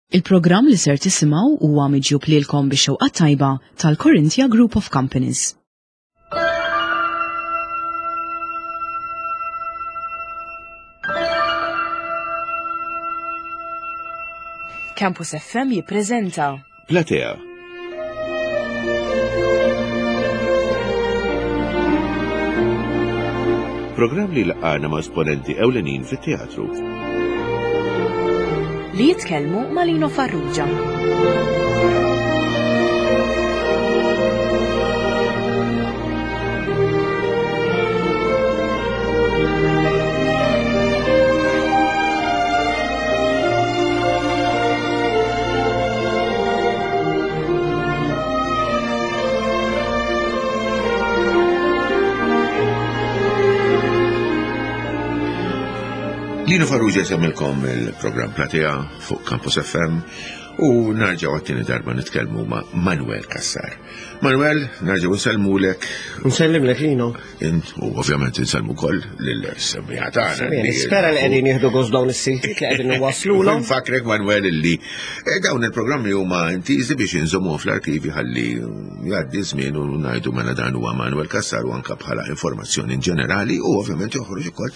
Il-programm li ser tisimgħu huwa miġjub lilkom bix-xewqa tajba tal-Corinthia Group of Companies. Campus FM jippreżenta Platea. Programm li laqgħana ma' esponenti ewlenin fit-teatru. Li jitkellmu ma' Lino Farrugia. Lino Farrugia jsemmilkom il-programm Platea fuq Campus FM u narġaw għattini darba nitkellmu ma' Manuel Kassar. Manuel, narġaw nsellmulek. Nsellimlek Lino. Int u ovvjament insellmu wkoll lill-semmiegħa tagħna. Nispera li qegħdin jieħdu gost dawn is-siltiet li qegħdin iwasslulhom. Nfakrek Manuel illi eh, dawn il-programmi huma intiżi biex inżommuhom fl-arkivi ħalli jgħaddi żmien u ngħidu mela dan huwa Manuel Cassar u anke bħala informazzjoni ġenerali u ovvjament joħroġ ukoll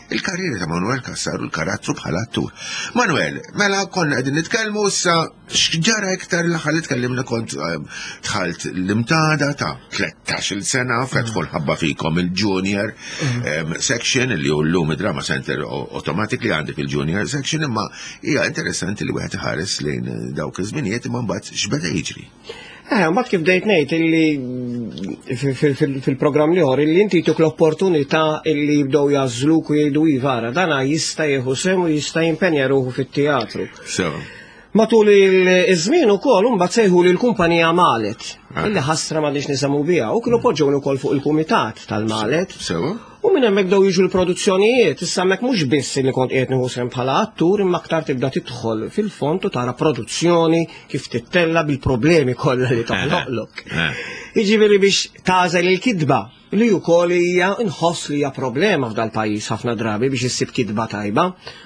il-karriera ta' Manuel Cassar u l-karattru bħala attur. Manuel, mela konna qegħdin nitkellmu issa X'ġara iktar l-aħħar li tkellimna kont ehm, dħalt l-imtada ta' 13-il sena fetħu l-ħabba fikom il-junior mm. ehm, section li hu llum id-drama center automatically għandek il-junior section imma hija interessanti li wieħed iħares lejn dawk iż-żminijiet imma mbagħad x'beda jiġri. Eh, mbagħad kif bdejt ngħid illi fil-programm liħor illi inti tuk l-opportunità illi jibdew jażluk u jgħidu iva ara dana jista' jieħu sehem u jista' jimpenja ruħu fit-teatru. So. Matul iż-żmien ukoll imbagħad sejħu lil kumpanija Malet, ah. illi ħasra m'għandix nisemmu biha u kienu poġġewni wkoll fuq il-kumitat tal-Malet. Sewa. U minn hemmhekk bdew jiġu l-produzzjonijiet, issa hemmhekk mhux biss li kont qiegħed nieħu sehem bħala attur imma aktar tibda tidħol fil-fond u tara produzzjoni kif tittella bil-problemi kollha li toħloqlok. Eh. Jiġifieri biex tagħżel il-kitba li wkoll hija nħoss li hija problema f'dal-pajjiż ħafna drabi biex issib kitba tajba.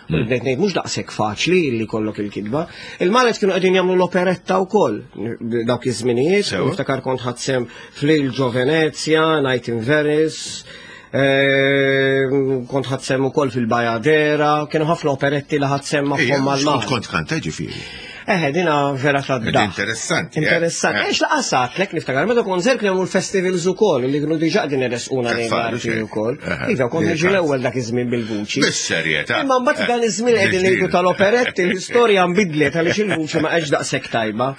U mm. bdejt ngħid mhux daqshekk faċli li kollok il-kitba. Il-Malet kienu qegħdin jagħmlu l-operetta wkoll dawk iż-żminijiet, niftakar kont ħadsem f'Lil Ġo Venezia, Night in Venice, eh, kont ħadsem ukoll fil-Bajadera, kienu ħafna operetti li ħadsem magħhom mal-Malet. Kont kanta ġifieri. Eħe, dina vera ta' da. Interessanti. Eh? Interessanti. Eh. Ex laqas għatlek niftakar, meta kont żer kienu l-festivals ukoll li kienu diġà din irresquna lejn l-arti ukoll. Iva, kont niġi l-ewwel dak iż-żmien bil-vuċi. Bis-serjetà. Imma mbagħad dan iż-żmien qegħdin ngħidu tal-operetti l-istorja nbidlet għaliex il-vuċi ma qedx daqshekk tajba.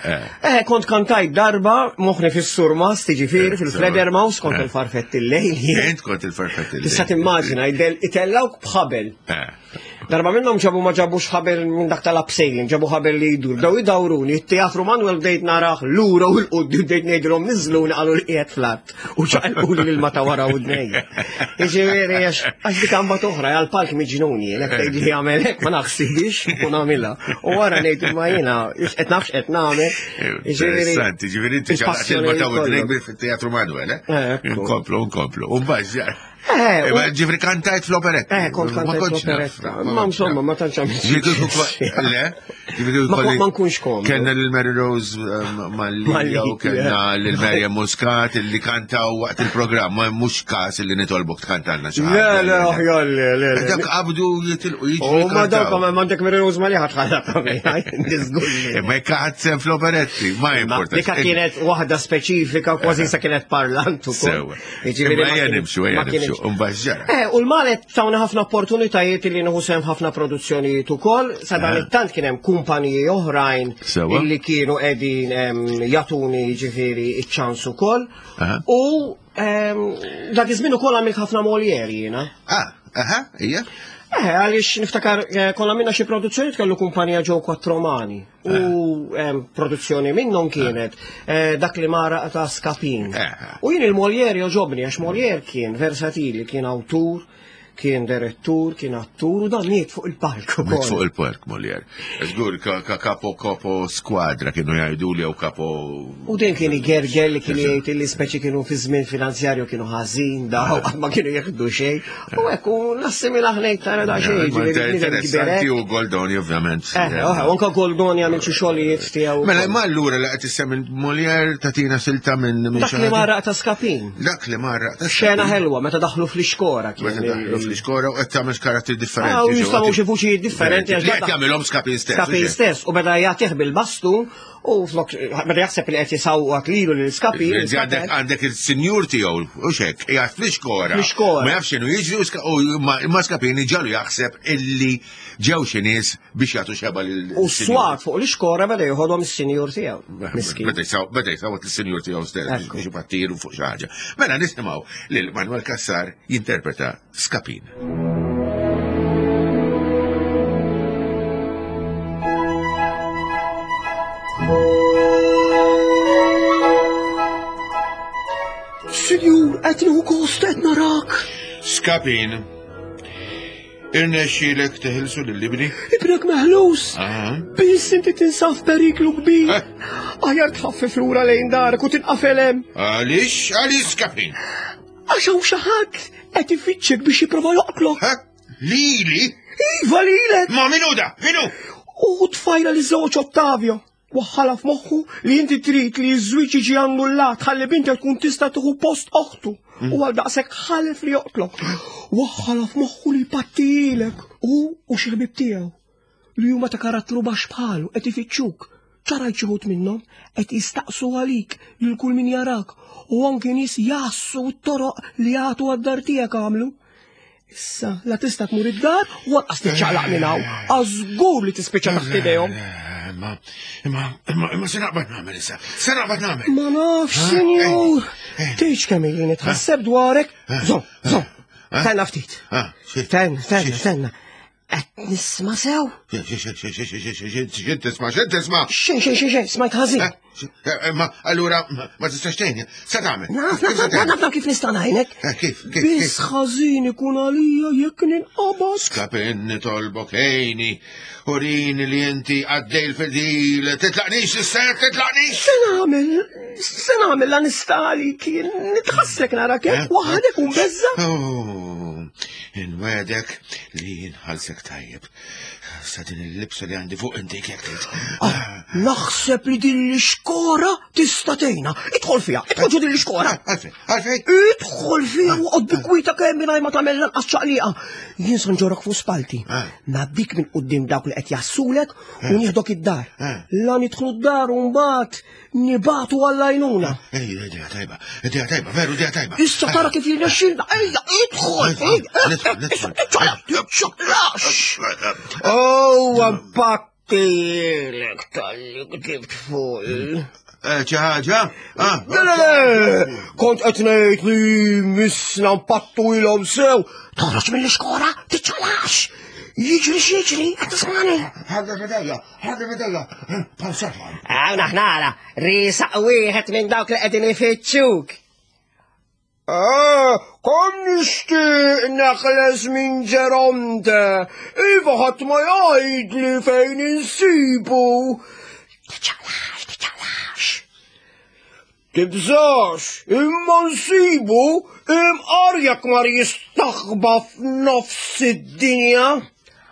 Eh, kont kantajt darba moħħni fis-surmas tiġifieri fil-Fledermaus kont il-farfett il-lejl. Int kont il-farfett il-lejl. Tista' timmaġina itellawk b'ħabel. Darba minnhom ġabu ma ġabux ħabel minn dak tal-abseiling, ġabu ħabel li jdur. Bdew idawruni, it-teatru Manuel bdejt naraħ lura u l-quddi bdejt ngħidilhom niżluni qalu li qiegħed fl-art u ċaqilquli lil ma ta' wara u dnejja. Jiġifieri għax għax dik għamba toħra għal palk miġnuni, jekk tgħid li jagħmel hekk ma naħsibix u nagħmilha. U wara ngħid imma jiena qed nafx qed nagħmel. Jiġifieri Interessanti, ġifieri inti ċaqlaqt il-ma ta' u fit-teatru Manuel, eh? eh, Nkomplu, nkomplu. U mbagħad Eh, eh, ġifri kantajt fl-operetta. Eh, kont kantajt fl-operetta. Ma insomma, ma tantx għamilt. Le? Ma nkunx kom. Kenna lil Mary Rose eh, Malli u kenna lil Mary Muscat li kantaw waqt il-programm, ma mhux każ li nitolbok tkantalna xi Le, le, aħjar, le, le. Dak qabdu jitilqu jiġu. U ma dawk ma għandek Mary Rose Malli ħatħalla Ma jekk ħadd fl-operetti, ma importa. Dika kienet waħda speċifika, kważi sa kienet parlant ukoll. Jiġifieri ejja nimxu, ejja nimxu, mbagħad Eh, u l-Malet tawna ħafna opportunitajiet li nieħu sehem ħafna produzzjonijiet ukoll, sa dan eh. it-tant kien hemm kumpaniji oħrajn illi kienu qegħdin jagħtuni jiġifieri iċ-ċans ukoll. U dak iż-żmien ukoll għamilt ħafna Molière jiena. Ah, aha, hija. Eh, għaliex niftakar eh, konna minna xi produzzjoni kellu kumpanija ġew Quattromani. U produzzjoni minnhom kienet eh, dak li mara ta' Skapin. Eh. U jien il-Molière joġobni għax Molière kien versatili, kien awtur, Kien direttur, kien attur u dan miet fuq il-palk ukoll. Miet fuq il-palk Molière. Żgur kapo kapo skwadra kienu jgħidu li jew kapo. U din kien igergel li kien jgħid li speċi kienu fi żmien finanzjarju kienu ħażin daw ma kienu jieħdu xejn. U hekk u nassimila ħnejt tara da xejn. Interessanti u Goldoni ovvjament. Eh, eh, anka Goldoni għamil xi xogħlijiet tiegħu. Mela imma allura li qed issemmi Molière tagħtina silta minn Dak li marraq ta' Skapin. Dak li marraq ta' Xena ħelwa meta daħlu fl-ixkora kien. Meta daħlu fl-ixkora u qed tagħmel karattri differenti. Ah, u jistgħu xi vuċijiet differenti għax qed jagħmilhom Skapin stess. Skapin stess u beda jagħtih bil-bastun u flok beda jaħseb li qed jisawwat lilu lil Skapin. Għandek il-sinjur tiegħu u xek, qiegħed fl-ixkora. Fl-ixkora. Ma jafx x'inhu jiġri u ma Skapin ġalu jaħseb illi ġew xi nies biex jagħtu xeba lil. U swat fuq l-ixkora beda joħodhom is-sinjur tiegħu. Miskin. Beda jsawwat lis-sinjur tiegħu stess biex ipattiru fuq xi ħaġa. Mela nisimgħu lil Manuel Cassar jinterpreta Skapin. Sinjur, qed nieħu gost qed narak. Skapin. Irnexxielek teħilsu lil ibni? Ibnek meħlus! Biss inti tinsab f'periklu kbir. Eh? Aħjar tħaffef lura lejn darek u tinqafel hemm. Għaliex? Għaliex Skapin? Għax hawn xi ħadd qed ifittxek biex jipprova joqtlok. Eh? Lili? Iva lilek! Ma minu da? Minu? U tfajla li żewġ Ottavio. Waħħalha f'moħħu li inti trid li ż-żwieġ jiġi annullat ħalli bintek tkun tista' tieħu post oħtu u għal daqshekk ħalef li joqtlok. Waħħalha f'moħħu li jpattilek hu u xi ħbieb tiegħu li huma ta' karattru baxx bħalu qed ifittxuk. Ċarajt xi wħud minnhom qed jistaqsu għalik lil kull min jarak u anki nies jgħassu t-toroq li jagħtu għad-dar tiegħek għamlu. Issa, la tista' tmur id-dar u lanqas tiċċaqlaq minn hawn. Għażgur li tispiċċa taħt idejhom. Imma, imma, imma, imma se naqbad nagħmel issa. Se naqbad nagħmel. Ma nafx, sinjur. Tgħidx kemm ili nitħasseb dwarek. Żomm, żomm. Tenna ftit. Tenna, tenna, tenna. Qed nisma' sew? X'int tisma', x'int tisma'? Xejn, xejn, xejn, xejn, smajt ħażin. Eh, eh, ma allura ma tistax tgħinni, se tagħmel? Naf, naf, naf, naf kif nista' ngħinek. Eh, kif, kif? Biss ħażin ikun għalija jekk ninqabad. Skapin nitolbok ejni, urini li inti għaddej l-fidil, titlaqnix issa titlaqnix. Se nagħmel, se nagħmel la nista' għalik, nitħassek narak hekk waħdek u mbeżża. Oh, Inwegħdek li nħallsek tajjeb. Sa din il-libsa li għandi fuq inti jekk trid. Ah, naħseb li din l-ixkora tista' tgħinna. Idħol fiha, idħol ġo din l-ixkora. Ah, għalfejn, għalfejn. Idħol fiha u qod bi kwieta kemm mingħajr ma tagħmel lanqas ċaqliqa. Jien se nġorok fuq spalti. Ah. Ngħaddik minn quddiem dawk li qed jassulek u nieħdok id-dar. La nidħlu d-dar u mbagħad Nibatu għall-għajnuna. Ej, idea tajba, idea tajba, veru idea tajba. Issa tara kif jirnexxilna, ejja, idħol, ejja, Oh, mpattilek tal-li ktibt fuq. Eh, xi ħaġa? Ah. Le, le, le, kont qed ngħid li missna mpattu ilhom sew. Toħroġ mill-iskora, tiċċalax. Jiġri x'jiġri, qed tismani. Ħadda fidejja, Ħadda fidejja, bħal sefan. Hawn aħna ara, riesaq wieħed minn dawk li qegħdin ifittxuk. Ah, kom nixtieq neħles minn Ġeronte, iva ħadd ma jgħidli fejn insibu. Tiċċaqlax, tiċċaqlax. Tibżax, imma nsibu imqar jekk mar jistaħba f'nofs id-dinja.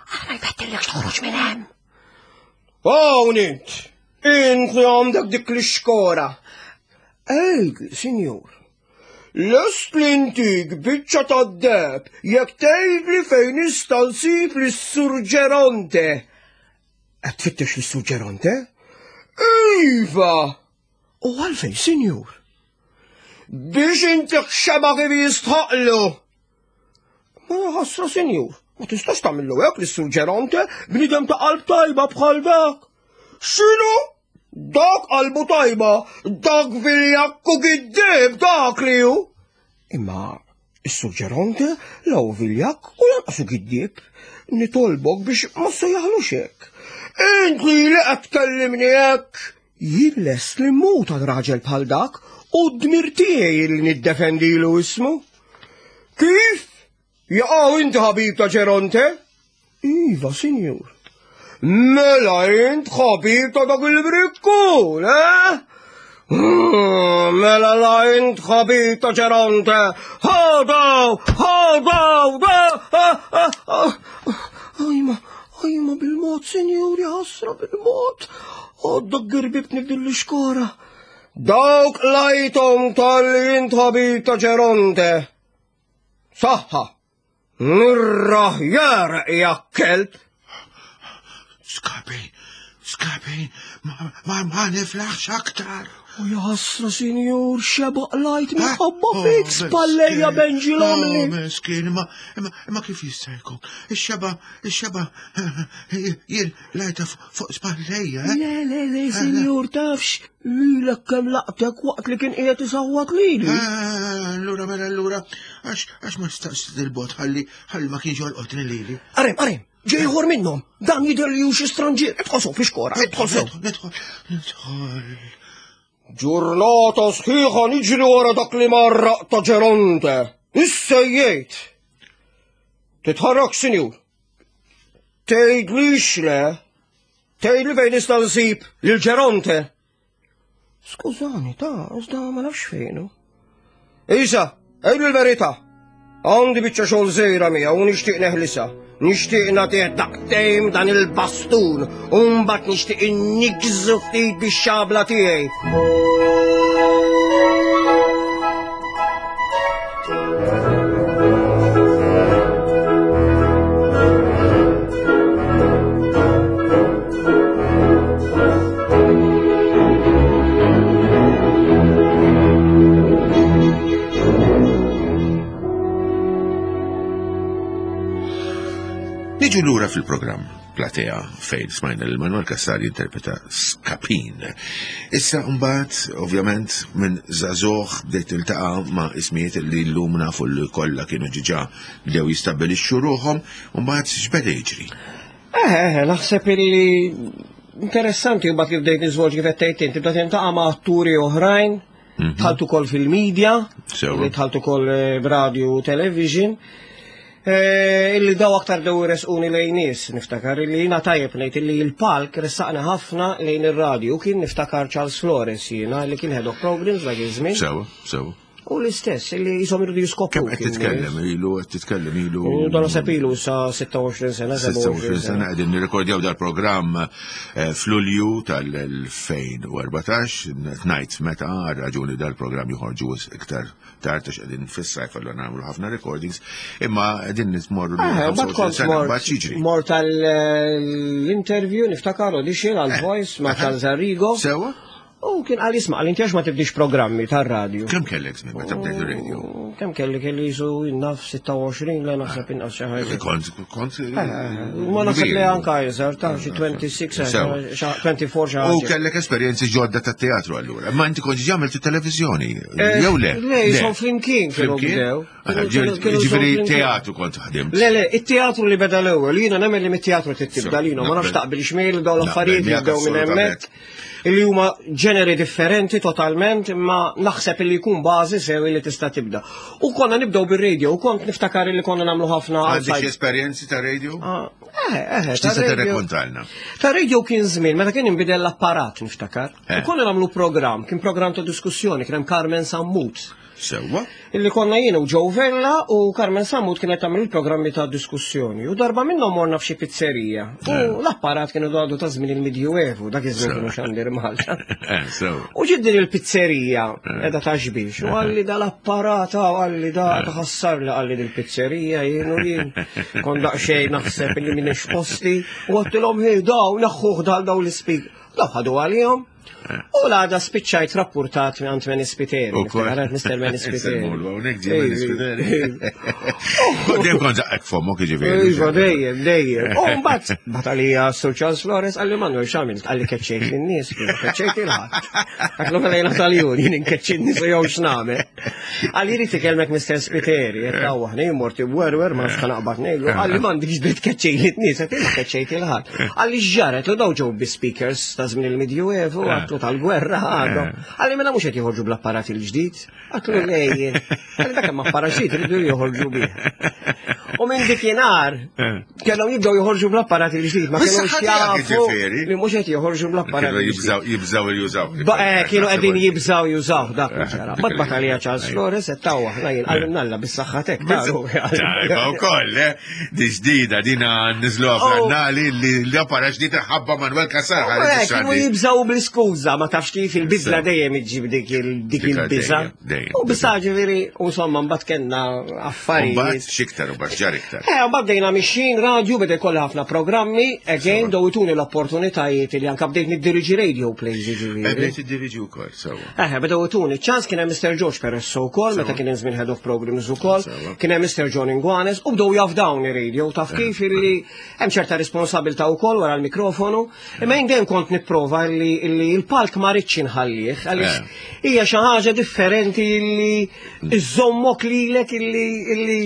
Aħna jbettillek toħroġ minn hemm. Hawn int, int li għandek dik l-ixkora. Ej, sinjur, lest li ntik biċċa tad-deb jekk tgħidli fejn nista' nsib lis-Sur Ġeronte. Qed tfittex lis-Sur Ġeronte? Iva! U għalfejn, sinjur? Biex inti xeba kif jistħaqlu. Ma ħasra, sinjur, ma tistax tagħmillu hekk lis-Sur Ġeronte, bniedem ta' qalb tajba bħal dak. X'inhu? Dak qalbu tajba, dak viljakku giddib dak li hu. Imma Is-Sur Ġeronte la hu viljakk u lanqas hu giddieb. Nitolbok biex ma ssejjaħlux hekk. Int li qed tkellimni hekk! Jien lest li mmut għal raġel bħal dak u d-dmir tiegħi li niddefendilu ismu. Kif? Jaqaw inti ħabib ta' Ġeronte? Iva, sinjur. Mela int ħabib ta' dak il-brikkun, eh? Mela la int ħabib ta' Ġeronte. Ħadaw, ħadaw, da! Ajma, ajma bil-mod, sinjur, ħasra bil-mod. Għodda girbibtni f'din l-iskora. Dawk lajtom tal-li int ħabib ta' Ġeronte. Saħħa! Nirraħjar ja kelb! Skapi, skapi, ma, ma, ma niflaħx aktar. U jaħasra, sinjur, xeba qlajt minħabba ah, fik, oh, spallejja benġi l-omni. Oh, miskin, ma, ma kif jista' jkun? Ix-xeba, ix-xeba, jien lajta fuq spallejja. Eh? Le, le, le, eh, sinjur, tafx, lilek kemm laqtek waqt li kien qiegħed isawwat lili. Eh, allura, mela, allura, għax ma staqs il-bot ħalli ħalli ma kienx jolqotni lili. Arem, arem, ġejħor minnhom, dan jidher li xi stranġier, idħol sew fi xkora, idħol sew. Nidħol, nidħol. Ġurnata sħiħa niġri wara dak li marraq ta' Ġeronte. Issejjejt. Titħarrak, sinjur. Tgħidlix le. Tgħidli fejn nista' nsib lil Ġeronte. Skużani, ta' iżda ma nafx fejnu. Isa, għidli l-verità. Għandi biċċa xogħol żgħira miegħu u nixtieq neħlisa. Nixtieq nagħtih daqtejn dan il-bastun u mbagħad nixtieq innigżu ftit bix-xabla tiegħi. Niġu lura fil-programm Platea fejn smajna lil Manuel Cassar jinterpreta Skapin. Issa mbagħad, ovvjament, minn żagħżugħ bdejt tiltaqa' ma' ismijiet li llum nafu li kollha kienu ġiġa bdew jistabbilixxu ruħhom, u mbagħad x'beda jiġri? Eh, eh, naħseb illi interessanti mbagħad kif bdejt niżvolġi kif qed tgħid inti bda tintaqa' ma' atturi oħrajn, mhm. dħalt ukoll fil-medja, li dħalt ukoll eh, b'radio u television. Eh, illi daw aktar dew resquni lejn nies, niftakar illi jiena tajjeb ngħid illi l-palk ressaqna ħafna lejn ir-radju kien niftakar Charles Flores jiena li kien head of programs dak iż-żmien. Sewa, sewa. U l-istess, illi jisom irridu jiskopru. Kemm qed titkellem ilu, qed titkellem ilu. U dan naħseb ilu sa 26 sena, 26 sena qegħdin nirrekordjaw dal-programm eh, f'Lulju tal-2014, ngħid meta raġuni dal-programm joħorġu iktar tard għax qegħdin fis-sajf allura nagħmlu ħafna recordings, imma qegħdin nitmorru eh, mbagħad jiġri. Mort tal-interview niftakar audition għal eh. voice ma' Charles Arrigo. Sewa? U kien għal jisma' għal inti għax ma tibdix programmi tar-radju. Kemm kellek żmien meta bdejt ir-radio? Kemm kelli kelli jisu naf 26 la naħseb inqas xi ħaġa. Kont kont eh, Ma naħseb li anka iżgħar ta' xi 26 24 xi U kellek esperjenzi ġodda tat-teatru allura. Ma inti kont ġa għamilt it-televiżjoni. Eh, jew le? Le, jisom flimkien kienu bdew. Ġifieri teatru kont ħdimt. Le, le, it-teatru li beda l-ewwel, jiena nemmen li mit-teatru tibda lina, ma nafx taqbil xmiel dawn l-affarijiet li bdew minn hemmhekk li huma ġeneri differenti totalment, imma naħseb li jkun bażi sew li tista' tibda. U konna nibdew bir-radio, u kont niftakar li konna nagħmlu ħafna. Għandek esperjenzi ta' radio? Ah, eh, eh, X'tista' tirrekontalna? Ta' radio kien żmien meta kien inbidel l-apparat niftakar. Eh. U konna nagħmlu programm, kien programm ta' diskussjoni, kien hemm Carmen Sammut. Sewwa. Illi konna jien u Joe Vella u Carmen Sammut kienet tagħmel il-programmi ta' diskussjoni. U darba minnhom morna f'xi pizzerija. U eh. l-apparat kienu għadu ta' żmien il-Medjuevu, dak iż-żmien kienu xandir Malta. Eh, u ġid din il-pizzerija edha ta' xbiex. U għalli dal-apparat għalli da taħassar li għalli dil-pizzerija jien u jien. Kon daqsxejn naħseb li minix posti u għattilhom hej daw naħħuh dal daw l-ispik. Daw ħadu għalihom. U l-għada spiċċajt rapportat minn għand Meni Spiteri. U kol. Għarat Mr. Meni Spiteri. Hawnhekk ġie Meni Spiteri. Dejjem kont zaqqek fomok jiġifieri. Iva, dejjem, dejjem. U mbagħad mbagħad għalija Sir Charles Flores qalli Manuel x'għamilt qalli keċċejt lin-nies, keċċejt il-ħadd. Għatlu mela jiena tal-jun, jien inkeċċi n-nies u jew x'nagħmel. Qalli jrid ikellmek Mr. Spiteri, qed tawwaħni mort imwerwer ma nafx naqbad ngħidlu, qalli m'għandikx dritt keċċejt lin-nies, qed ma keċċejt il-ħadd. Qalli x'ġaret u daw ġew bi speakers ta' żmien il-Medjuevu, eh. Għatlu tal-gwerra għadhom. Għalli mela mhux qed joħorġu bl-apparat il-ġdid. Għatlu lejjin. Għalli dak hemm apparat ġdid iridu joħorġu bih. U minn dikinhar kellhom jibdew joħorġu bl-apparat il-ġdid, ma kellhomx jafu li mhux qed joħorġu bl-apparat. Kienu jibżaw jużaw. Eh, kienu qegħdin jibżaw jużaw dak ġara. Bad batalija Charles Flores qed taw aħna jien qalilna bis-saħħa tek. Tajba wkoll, eh? Di ġdida dina niżluha oh. fl-annali li l-apparat ġdid ħabba Manuel Cassar. Eh, kienu jibżaw bl-iskuża, ma tafx kif il-biżla dejjem iġġib dik il-biża. U biża ġifieri, u insomma mbagħad kellna affarijiet. Mbagħad x'iktar u mbagħad ġar iktar. Eh, mbagħad bdejna mixjin radju beda jkollha ħafna programmi, again dowituni l-opportunitajiet li anke bdejt niddiriġi radio plays ġifieri. Eh, bdejt tiddiriġi wkoll, sewwa. Eh, bdew ituni ċans kien hemm Mr. George Peresso wkoll meta kien hemm żmien head of programs ukoll, kien hemm Mr. John Ingwanes u bdew jafdawni radio taf kif illi hemm ċerta responsabilità wkoll wara l-mikrofonu, imma jien dejjem kont nipprova illi l-palk ma rridx inħallih għaliex eh. hija xi ħaġa differenti illi iżommok lilek illi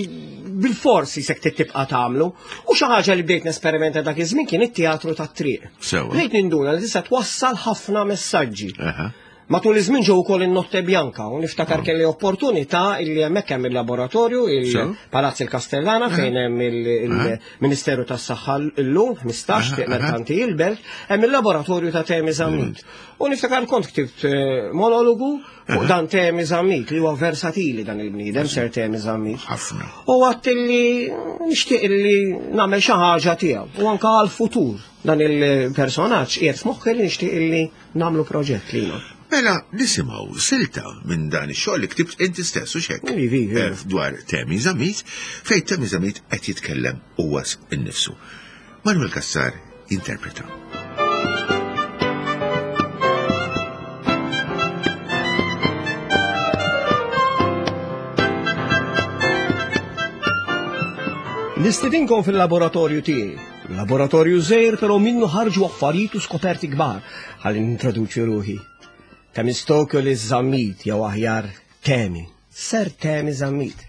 bil-forsi sek tibqa' tagħmlu. U xi ħaġa li bdejt nesperimenta dak iż-żmien kien it-teatru tat-triq. Bdejt ninduna li tista' twassal ħafna messaġġi. Matul iż-żmien ġew ukoll in-Notte Bianca u niftakar ah. kelli opportunità illi hemmhekk hemm il-laboratorju il-Palazz il-Castellana fejn hemm il-Ministeru tas-Saħħa llum 15 Triq Merkanti il-Belt, hemm il-laboratorju ta' Temi Zammit. Mm. U niftakar kont ktibt eh, monologu fuq dan Temi Zammit li huwa versatili dan il-bniedem ser Temi Zammit. Ħafna. U għadt illi nixtieq illi nagħmel xi ħaġa tiegħu u anke għall-futur dan il-personaġġ qiegħed f'moħħi li nixtieq illi Namlu proġett lilhom. Mela nisimgħu silta minn dan ix-xogħol li ktibt inti stess u xek. Ivi, ivi. Eh, dwar Temi Zamit, fejn Temi Zamit qed jitkellem huwa innifsu. Manuel Cassar jinterpreta. Nistidinkom fil-laboratorju tiegħi. Laboratorju żgħir però minnu ħarġu affarijiet u skoperti kbar ħalli nintroduċi ruħi. Temistokles Zammit jew aħjar Temi, Ser Temi Zammit.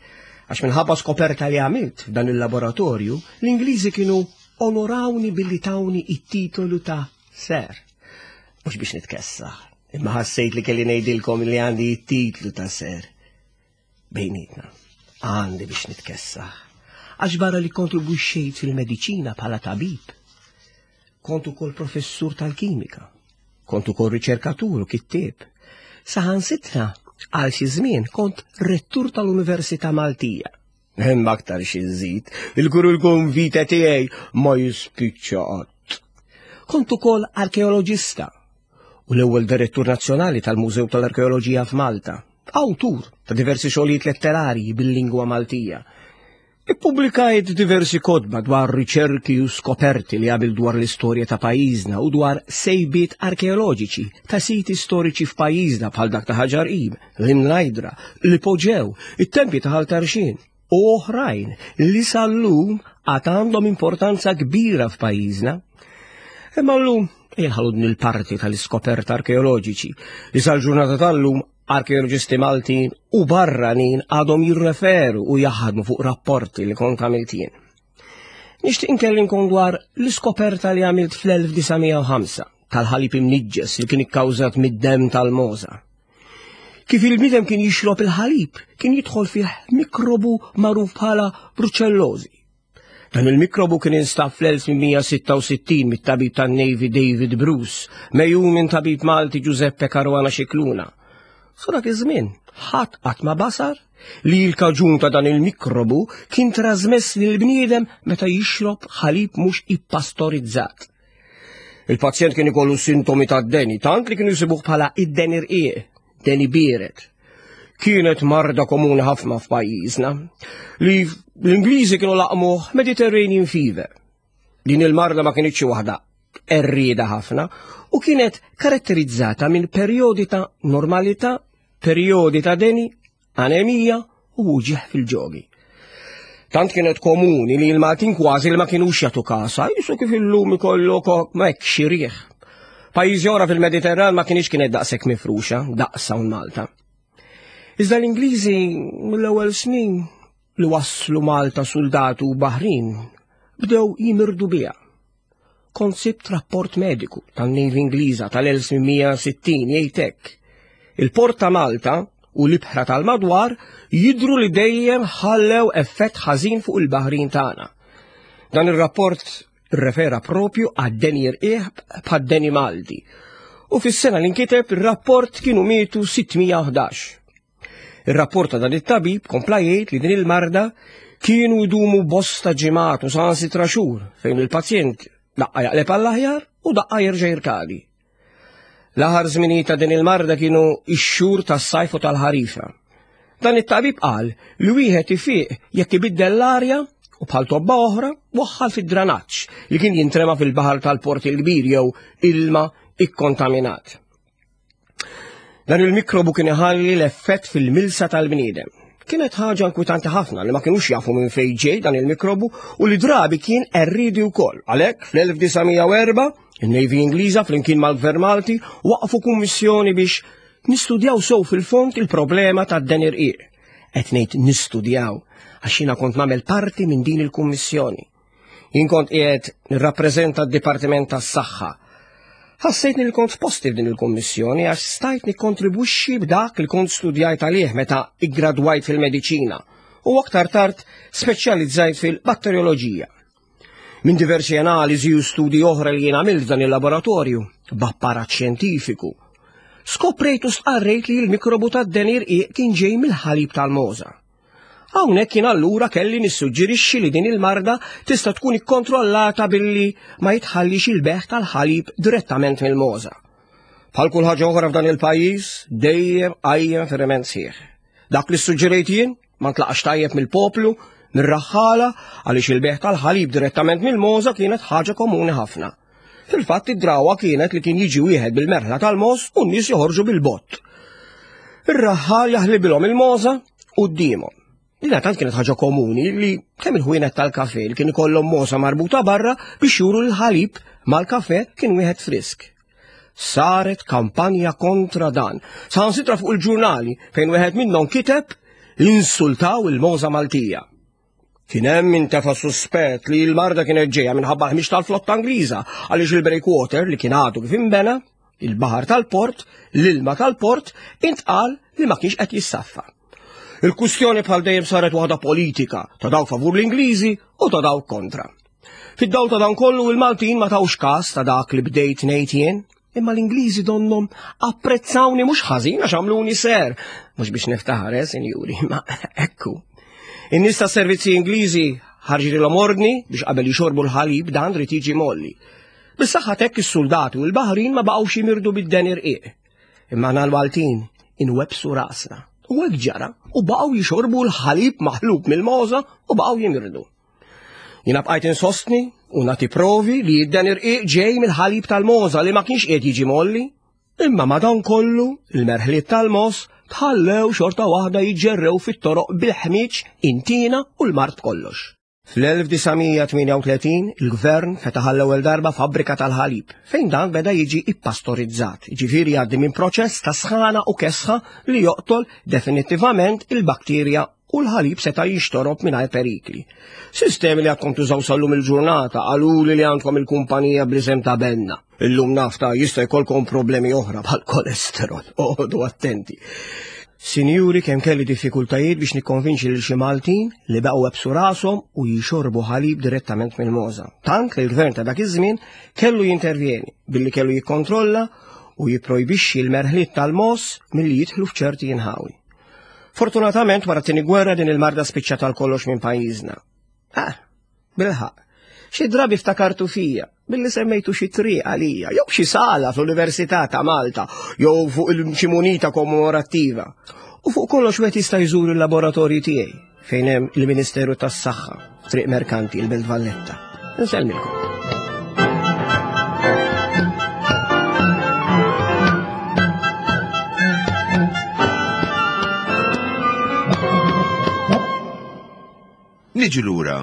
Għax minħabba skoperta li għamilt f'dan il-laboratorju, l-Ingliżi kienu onorawni billi tawni it-titolu ta' Ser. Mhux biex nitkessaħ, imma ħassejt li kelli ngħidilkom li għandi it-titlu ta' Ser. Bejnietna, għandi biex nitkessaħ. Għax barra li kontribwixxejt fil-mediċina bħala tabib, kont ukoll professur tal-kimika, kont ukoll riċerkatur u kittieb. Saħansitra għal xi żmien kont rettur tal-Università Maltija. Hemm aktar xi nżid, il-kurrikulum vitae tiegħi ma jispiċċa qatt. Kont ukoll arkeoloġista u l-ewwel direttur nazzjonali tal-Mużew tal-Arkeoloġija f'Malta. Awtur ta' diversi xogħlijiet letterarji bil-lingwa Maltija. Ippubblikajt diversi kotba dwar riċerki u skoperti li għamil dwar l-istorja ta' pajjiżna u dwar sejbiet arkeoloġiċi ta' siti storiċi f'pajjiżna bħal dak ta' Ħaġar Qim, l-Imnajdra, l-Ipoġew, it-tempji ta' Ħal Tarxien u oħrajn li sal-lum għad għandhom importanza kbira f'pajjiżna. Imma llum inħallu din il-parti tal-iskoperta arkeoloġiċi li sal-ġurnata tal-lum arkeoloġisti Maltin u barranin għadhom jirreferu u jaħdmu fuq rapporti li kont għamilt jien. Nixtieq inkellimkom dwar l-iskoperta li għamilt fl-1905 tal-ħalib imniġġes li kien ikkawżat mid-demm tal-moza. Kif il-bniedem kien jixrob il-ħalib, kien jidħol fih mikrobu magħruf bħala bruċellożi. Dan il-mikrobu kien instab fl-1866 mit-tabib tan-Navy David Bruce, mejjun minn tabib Malti Giuseppe Caruana Scicluna. Sa dak iż-żmien, ħadd qatt ma basar li l-kaġun ta' dan il-mikrobu kien trasmess lill-bniedem meta jixrob ħalib mhux ippastorizzat. Il-pazjent kien ikollu sintomi ta' deni, tant li kienu jsibuh bħala id-deni rqiq, deni biered. Kienet marda komuni ħafna f'pajjiżna li l-Ingliżi kienu laqmuh Mediterranean Fever. Din il-marda ma kienitx waħda errieda ħafna u kienet karatterizzata minn perjodi ta' normalità, perjodi ta' deni, anemija u uġigħ fil-ġogi. Tant kienet komuni li l-Maltin kważi li ma kinux jagħtu kasa, jisu kif illum ikollok hekk xi riħ. Pajjiżi oħra fil-Mediterran ma kienx kienet daqshekk mifruxa, daqs hawn Malta. Iżda l-Ingliżi mill-ewwel snin li waslu Malta soldati u baħrin bdew jimirdu biha. Kont sibt rapport mediku tan-Navy Ingliża tal-1860 jgħid hekk. Il-port ta' Malta u l-ibħra tal-madwar jidhru li dejjem ħallew effett ħażin fuq il-baħrin tagħna. Dan ir-rapport irrefera propju għad-deni rqiegħ bħad-deni Malti. U fis-sena li nkiteb ir-rapport kienu mietu 611. Ir-rapport ta' dan it-tabib kompla jgħid li din il-marda kienu jdumu bosta ġimgħat u saħansitra xhur fejn il-pazjent daqqa jaqleb għall-aħjar u daqqa jerġa' jirkadi. L-aħar żminijiet ta' din il-marda kienu x-xhur tas-sajf u tal-ħarifa. Dan it-tabib qal li wieħed ifiq jekk ibiddel l-arja u bħal tobba oħra waħħal fid-dranaġġ li kien jintrema fil-baħar tal-Port il-Kbir jew ilma ikkontaminat. Dan il-mikrobu kien iħalli l-effett fil-milsa tal-bniedem. Kienet ħaġa inkwitanti ħafna li ma kinux jafu minn fejn ġej dan il-mikrobu u li drabi kien erridi wkoll. Għalhekk fl-1904 in-Navy Ingliża flimkien mal-Gvern Malti waqfu kummissjoni biex nistudjaw sew fil-fond il-problema tad-den irqiq. Qed ngħid nistudjaw għax jiena kont nagħmel parti minn din il-kummissjoni. Jien kont qiegħed nirrappreżenta d-Dipartiment tas-Saħħa. Ħassejtni li kont f'posti f'din il-kummissjoni għax stajt nikkontribwixxi b'dak li kont studjajt għalih meta iggradwajt fil-mediċina u aktar tard speċjalizzajt fil-batterjoloġija. Minn diversi analiżi u studji oħra li jien għamilt f'dan il-laboratorju, b'apparat xjentifiku, skoprejt u stqarrejt li l-mikrobu tad-deni rqiq kien ġej mill-ħalib tal-mogħża. Hawnhekk jien allura kelli nissuġġerixxi li din il-marda tista' tkun ikkontrollata billi ma jitħallix il-beħ tal-ħalib direttament mill-mogħża. Bħal kull ħaġa oħra f'dan il-pajjiż, dejjem qajjem feriment sħiħ. Dak li ssuġġerejt jien ma ntlaqax tajjeb mill-poplu, mir-raħħala, għaliex il-beħ tal-ħalib direttament mill-mogħża kienet ħaġa komuni ħafna. Fil-fatt id-drawa kienet li kien jiġi wieħed bil-merħla tal-mogħoż u n-nies joħorġu bil-bott. Ir-raħħal jaħlibilhom il-mogħża quddiemhom. Dina tant kienet ħaġa komuni li kemm il-ħwienet tal-kafe li kien ikollhom mogħża marbuta barra biex juru l-ħalib mal-kafe kien wieħed frisk. Saret kampanja kontra dan. Saħansitra fuq il-ġurnali fejn wieħed minnhom kiteb insultaw il-mogħża Maltija. Kien hemm min tefa' suspett li l-marda kienet ġejja minħabba l-ħmieġ tal-flotta Ingliża għaliex il-breakwater li kien għadu kif inbena, il-baħar tal-port, l-ilma tal-port, intqal li ma kienx qed jissaffa. Il-kustjoni bħal dejjem saret waħda politika ta' dawk favur l-Ingliżi u ta' dawk kontra. Fid-dawl ta' dan kollu il-Maltin ma tawx każ ta' dak li bdejt ngħid jien, Imma l-Ingliżi donnhom apprezzawni mhux ħażin għax għamluni ser. Mhux biex niftaħar, eh, sinjuri, ma ekku. In-nies ta' servizzi Ingliżi ħarġilhom ordni biex qabel jixorbu l-ħalib dan rid jiġi molli. Bis-saħħa t'hekk is-suldati u l-baħrin ma baqgħux jimirdu bid-den irqiq. Imma aħna l-Maltin inwebbsu rasna. U hekk ġara u baqgħu jixorbu l-ħalib maħlub mill-mogħża u baqgħu jimirdu. Jiena bqajt insostni u nagħti provi li dan irqiq ġej mill-ħalib tal-mogħża li ma kienx qiegħed jiġi molli. Imma ma dan kollu, il-merħliet tal-mogħoż tħallew xorta waħda jiġġerrew fit-toroq bil-ħmieġ intina u l-mard kollox. Fl-1938 il-gvern fetaħ għall-ewwel darba fabbrika tal-ħalib fejn dan beda jiġi ippastorizzat, jiġifieri jgħaddi minn proċess ta' sħana u kesħa li joqtol definittivament il-bakterja u l-ħalib seta' jixtorob mingħajr perikli. Sistemi li għadkom tużaw sal-lum il-ġurnata qaluli li għandkom il-kumpanija bl-isem ta' Benna. Illum nafta jista' jkollkom problemi oħra bħal kolesterol. Oqogħdu attenti. Sinjuri kemm kelli diffikultajiet biex nikkonvinċi lil xi Maltin li baqgħu ebsu rashom u jixorbu ħalib direttament mill-mogħża. Tant li l-gvern ta' dak iż-żmien kellu jintervjeni billi kellu jikkontrolla u jipprojbixxi l-merħliet tal-mogħoż milli jidħlu f'ċerti inħawi. Fortunatament wara t-tieni gwerra din il-marda spiċċat għal kollox minn pajjiżna. Ah, bilħaq. Xi drabi ftakartu fija billi semmejtu xi triq għalija, jew xi sala fl-Università ta' Malta, jew fuq xi munita kommemorattiva. U fuq kollox wieħed jista' jżur il-laboratorji tiegħi fejn hemm il-Ministeru tas-Saħħa, Triq Merkanti, il-Belt Valletta. Insellmilkom. Niġi lura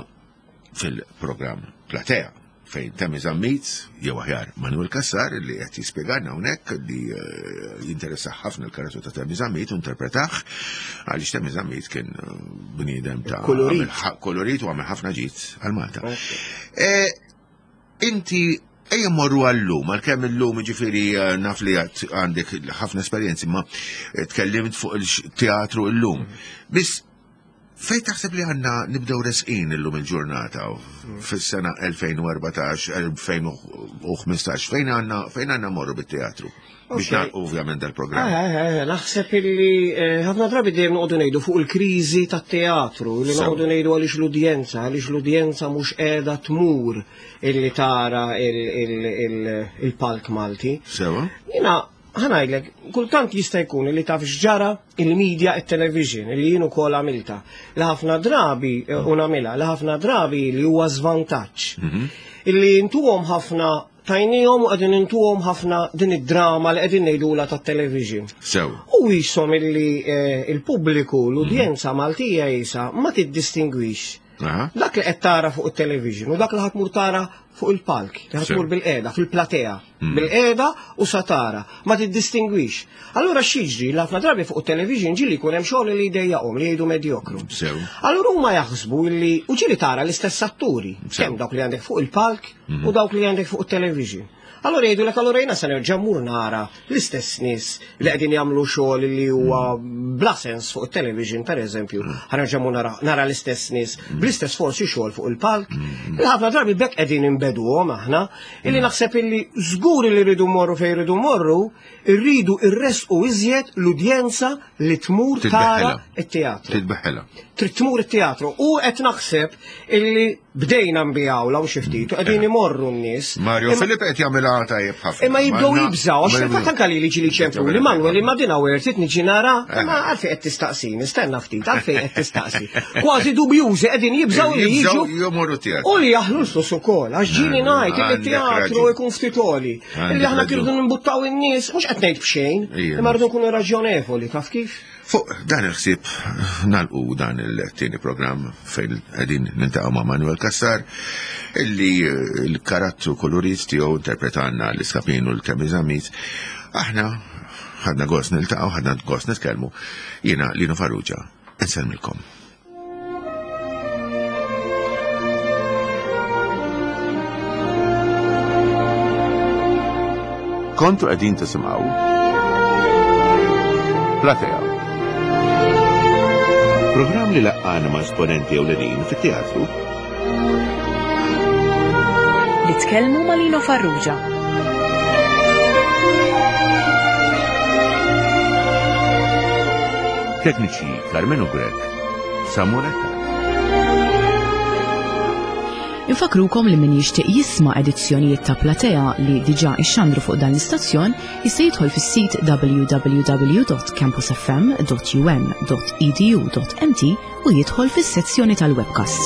fil-programm Platea fejn Temi Zammit, jew aħjar Manuel Cassar li qed jispjegana hawnhekk li eh, jinteressa ħafna l-karattru ta' Temi Zammit u interpretah għaliex Temi Zammit kien eh, bniedem ta' kolorit kolorit u għamel ħafna ġid għal Malta. Eh, inti Ejja mmorru għallum, għalkemm illum ġifieri eh, naf li għandek ħafna esperjenzi, ma eh, tkellimt fuq il-teatru illum. Biss fejn taħseb li għandna nibdew resqin illum il-ġurnata fis-sena 2014, 2015, fejn għandna fejn għandna morru bit-teatru? Biex nagħlqu ovvjament dal-programm. Eh, eh, eh, naħseb illi ħafna drabi dejjem noqogħdu ngħidu fuq il-kriżi tat-teatru, li noqogħdu ngħidu għaliex l-udjenza, għaliex l-udjenza mhux qiegħda tmur illi tara il-palk Malti. Sewa. Jiena ħanajdlek, kultant jista' jkun li taf x'ġara il-media e television li jien ukoll għamilta. Li ħafna drabi eh, u nagħmilha, li ħafna drabi li huwa żvantaġġ. Mhm. Illi intuhom ħafna tajnihom u qegħdin intuhom ħafna din id-drama li qegħdin ngħidula tat-television. Sew. U jisom illi eh, il-pubbliku, l-udjenza Maltija jisa ma tiddistingwix Dak li qed tara fuq it-television u dak li ħatmur tara fuq il-palk, li ħatmur bil-qeda, fil-platea, mm. bil-qeda u sa tara, ma tiddistingwix. Allura x'jiġri li ħafna drabi fuq it-television ġieli jkun hemm xogħol li jdejjaqhom li jgħidu medjokru. Allura huma jaħsbu li u ġieli tara l-istess atturi, kemm dawk li għandek fuq il-palk mm. u dawk li għandek fuq it-television. Allura jgħidulek allura jiena se nerġa' mmur nara l-istess nies li qegħdin jagħmlu xogħol li huwa bla sens fuq it-television pereżempju, ħa nerġa' mmur nara, nara l-istess nies bl-istess forsi xogħol fuq il-palk. Il-ħafna drabi bekk qegħdin inbeduhom aħna, illi naħseb illi żgur li rridu mmorru fejn rridu mmorru, irridu irresqu iżjed l-udjenza li tmur tara it-teatru. Titbeħħela. Trid tmur it-teatru u qed naħseb illi bdejna nbijawla u xi ftit u qegħdin imorru n-nies. Mario Filip qed jagħmilha tajjeb ħafna. Imma jibdew jibżgħu għax fil-fatt anke li ġieli ċemplu li Manuel imma din hawn trid niġi nara, eh. imma għalfejn qed tistaqsi, nistenna ftit, għalfejn qed tistaqsi. Kważi dubjużi qegħdin jibżgħu li jiġu u li jaħlu l-flus ukoll għax ġieli ngħid li teatru jkun ftit għoli. Illi aħna kirdu nimbuttaw in-nies, mhux qed ngħid b'xejn, imma rridu nkunu raġjonevoli, taf kif? Fuq dan il-ħsieb nalqu dan il-tieni programm fejn qegħdin niltaqgħu ma' Manuel Cassar illi eh, l-karattru kolorit tiegħu interpretanna l-iskapin u l-kemizamit. Aħna ħadna gost niltaqgħu, ħadna gost nitkellmu. Jiena Lino Farrugia, insellmilkom. Kontu qegħdin tisimgħu Platea. Programm li laqqana ma' esponenti ewlenin fit-teatru. Li tkellmu ma' Lino Farrugia. Tekniċi Carmenu Grech, Samuel Attard. Infakrukom li min jixtieq jisma' edizzjonijiet ta' Platea li diġà ixxandru fuq dan l-istazzjon jista' jidħol fis-sit www.campusfm.um.edu.mt u jidħol fis-sezzjoni tal-webcasts.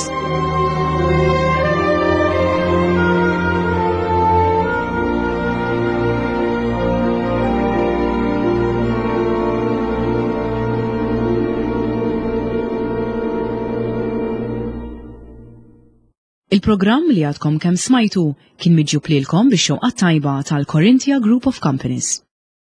Il-programm li għadkom kemm smajtu kien miġjub lilkom bix-xewqa tajba tal-Corinthia Group of Companies.